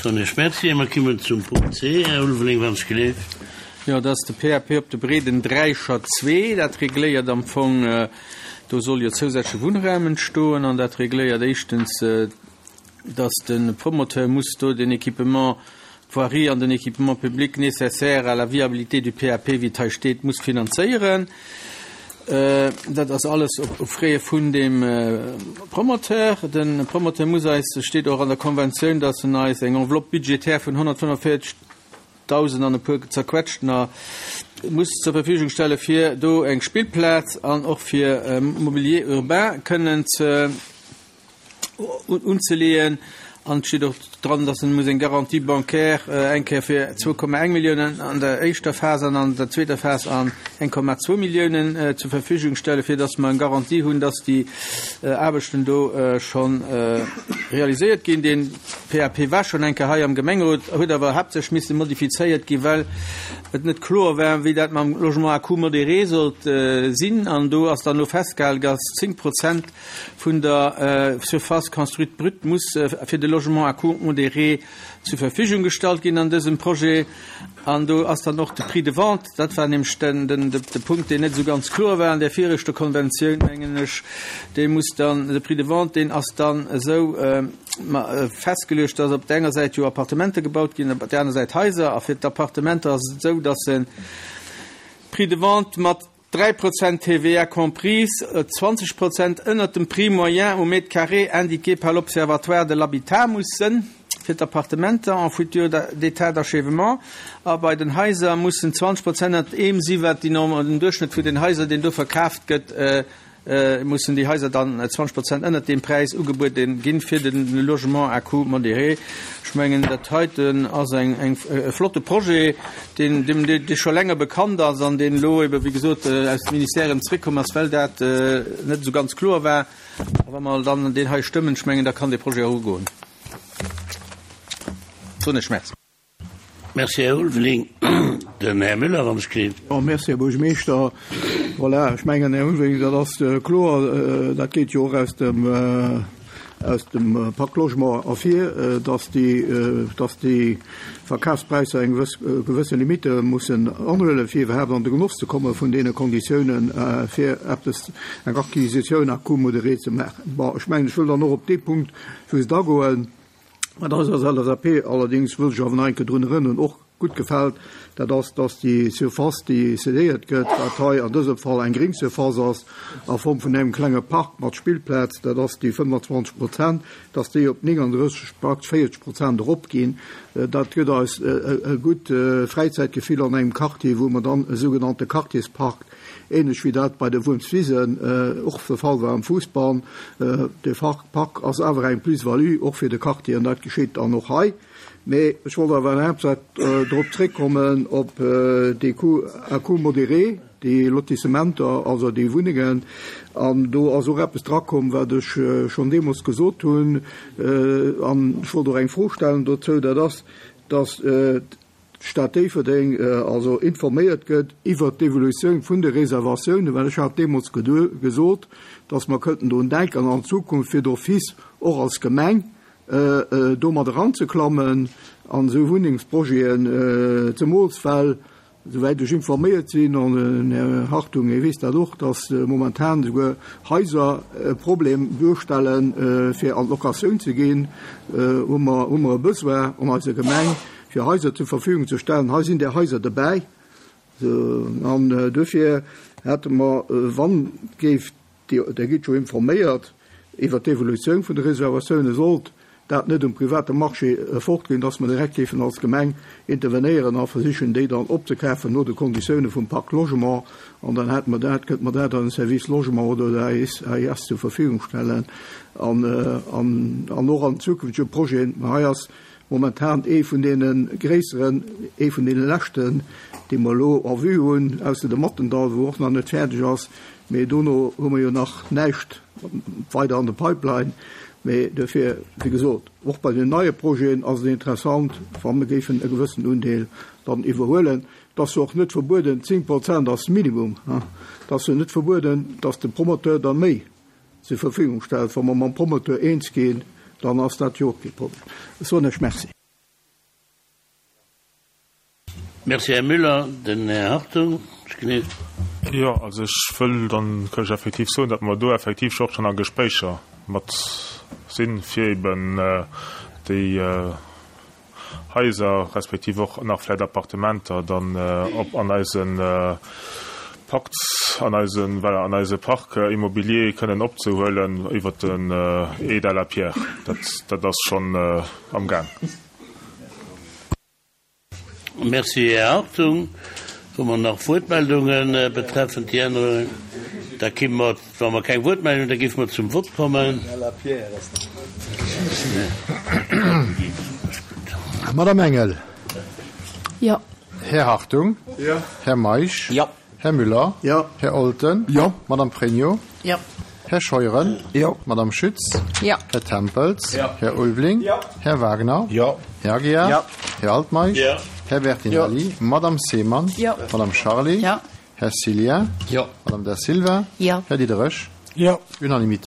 Soen ech Merci. A mer kommen zum Punkt C, Här Ulveling, wann ech gleeft. Jo, dat ass de PAP op de Breeden Dräischer 2. Dat regléiert am Fong, do soll jo zousätzleche Wunnraum entstoen an dat regléiert éischtens, dass de Promoteur muss do den Équipement, d'Voirie an den Équipement public nécessaire à la viabilité du PAP, wéi et hei steet, muss finanzéieren. Dat ass alles op Frais vun dem Promoteur. De Promoteur muss eis, steet och an der Konventioun, dass en eis eng Enveloppe budgétaire vun 145.000 an e puer zerquetschter muss zur Verfügung stelle fir do eng Spillplaz an och fir Mobilier urbain kënnen ze unzeleeën. An et steet och dran, dass en muss eng Garantie bancaire eng Kéier fir 2,1 Milliounen an der éischter Phas an an der zweeter Phas an 1,2 Milliounen zur Verfügung stellen, fir dass mer eng Garantie hunn, dass déi Aarbechten do scho realiséiert ginn. Dee PAP war schonn eng Kéier hei am Gemengerot, huet awer haaptsächlech misse modifizéiert ginn, well et net kloer war, wéi dat mam Logement à coût modéré sollt sinn. An do ass dann elo festgehale, dass 10 Prozent vun der Surface construite brute muss fir de Logement à coût modéré zur Verfügung gestallt ginn an dësem Projet. An do ass dann och de Prix de vente, dat war nämlech de Punkt, deen net esou ganz kloer war an där viregter Konventioun, mengen ech, dee muss dann, de Prix de vente, deen ass dann esou festgeluecht, dass op der enger Säit jo Appartementer gebaut ginn, op der aner Säit Haiser. A fir d'Appartementer ass et esou, dass de Prix de vente mat 3 Prozent TVA comprise, 20 Prozent ënnert dem Prix moyen au mètre carré indiqué par l'Observatoire de l'habitat muss sënn fir d'Appartementer en futur d'état d'achèvement a bei den Haiser mussen 20 Prozent ënnert deem si wat déi den Duerchschnëtt vun den Haiser deen do verkaaft gëtt mussen déi Haiser dann 20 Prozent ënnert deem Präis ugebuede ginn fir de Logement à coût modéré. Ech mengen, dat heiten ass eng, eng, e flotte Projet, deen, deem, dee scho länger bekannt ass an deen elo ebe wéi gesot aus dem Ministère erëm zréckkomm ass, well dat net esou ganz kloer war. A wa mer dann deen hei stëmmen, ech mengen, da kann dee Projet och ugoen. Soen ech Merci. Merci, Här Ulveling. Den Här Müller, wann ech kritt. Jo, merci, Här Buergermeeschter. Voilà, ech mengen, Här Ulveling, dat ass kloer, dat geet jo och aus dem, aus dem Pacte Logement ervir, dass déi, dass déi Verkafspräisser eng gewëss, gewësse Limitte mussen anhuelen, fir iwwerhaapt an de Genoss ze komme vun deene Konditiounen, fir eppes, eng Acquisitioun à coût modéré ze maachen. Bon, ech mengen, ech wëll dann och op dee Punkt just agoen, Wat eis als LSAP allerdéngs, wëll ech awer nach eng Kéier drun erënneren, och gutt gefält, dat ass, dass déi Surface, déi cédéiert gëtt, wat hei an dësem Fall eng gréng Surface ass a Form vun engem klenge Park mat Spillplaz, dat ass déi 25 Prozent, dass déi op 39, praktesch 40 Prozent eropginn. Dat gëtt eis e gutt Fräizäitgefill an engem Quartier, wou mer dann e sougenannte Quartierspark Ähnlech wéi dat bei de Wuermswisen och de Fall war am Fuussball. De Park ass awer eng Plus-value och fir de Quartier an dat geschitt dann och hei. Mee ech wollt awer haaptsächlech drop zréckkommen op déi Coûts à coût modéré, déi Lotissementer, also déi Wunnengen. An do ass och eppes drakomm, wat ech schonn deemools gesot hunn, an ech wollt och eng Fro stellen dozou, dat ass, dass d'Stad Déifferdeng also informéiert gëtt iwwert d'Evolutioun vun de Reservatiounen, well ech hat deemools gesot, dass mer kënnten drun denken an Zukunft fir d'office och als Gemeng do mat eranzeklammen an esou Wunnengsprojeten, zemools well, souwäit ech informéiert sinn, an den Här Hartung, hie weess dat och, dass momentan esouguer Haiser e Problem duerstellen, fir an d'Locatioun ze ginn, hu mer hu mer e Besoin an eiser Gemeng, fir Haiser zur Verfügung ze stellen. Hei sinn där Haiser dobäi. An duerfir hätte mer, wann géif, Der gitt jo informéiert iwwert d'Evolutioun vun de Reservatiounen, sollt dat net um private Marché fortginn, dass mer direkt géifen als Gemeng intervenéieren a versichen, déi dann opzekafen no de Konditioune vum Pacte Logement. An dann hätte mer dat, kënnte mer dat an den Service Logement oder der AIS zur Verfügung stellen an och an zukünftege Projeten. Mä hei ass Momentan ee vun deene gréisseren, ee vun deene leschten, dee mer elo en vue hunn, ausser de Mattendall, wou och nach net fäerdeg ass. Mee dono hu mer jo nach näischt weider an der Pipeline. Mee duerfir, wéi gesot, och bei den neie Projeten ass et interessant, wa mer géifen e gewëssen Undeel dann iwwerhuelen. Et ass jo och net verbueden, 10 Prozent ass Minimum, et ass jo net verbueden, dass de Promoteur da méi zur Verfügung stellt. Wa mer mam Promoteur eens ginn, dann ass dat jo och kee Problem. Ech soen Iech Merci. Merci, Här Müller. Den Här Hartung, ech gleef. Jo, also ech wëll dann kënn ech effektiv soen, datt mer do effektiv scho och schonn a Gespréicher mat sinn, fir eben déi Haiser respektiv och nach vläicht Appartementer dann op an eise Pakt, an eise, voilà, an eise Parc immobilier kënnen opzehuelen iwwert den Aide à la pierre. Dat, dat ass schonn amgaang. Merci, Här Hartung. Hu mer nach Wuertmeldunge betreffend déi Ännerungen? Da gi mer, wa mer keng Wuertmeldungen hunn, da géife mer zum Vott kommen. Madame Engel. Jo. Här Hartung. Jo. Här Meisch. Jo. Här Müller. Jo. Här Olten. Jo. Madame Pregno. Jo. Här Scheuren. Jo. Madame Schütz. Jo. Här Tempels. Jo. Här Ulveling. Jo. Här Wagner. Jo. Här Aguiar. Jo. Här Altmeisch. Jo. Här Bertinelli. Jo. Madame Seemann. Jo. Madame Charlé. Jo. Här Cillien. Jo. Madame Da Silva. Jo. Här Diderich. Jo. Unanimité.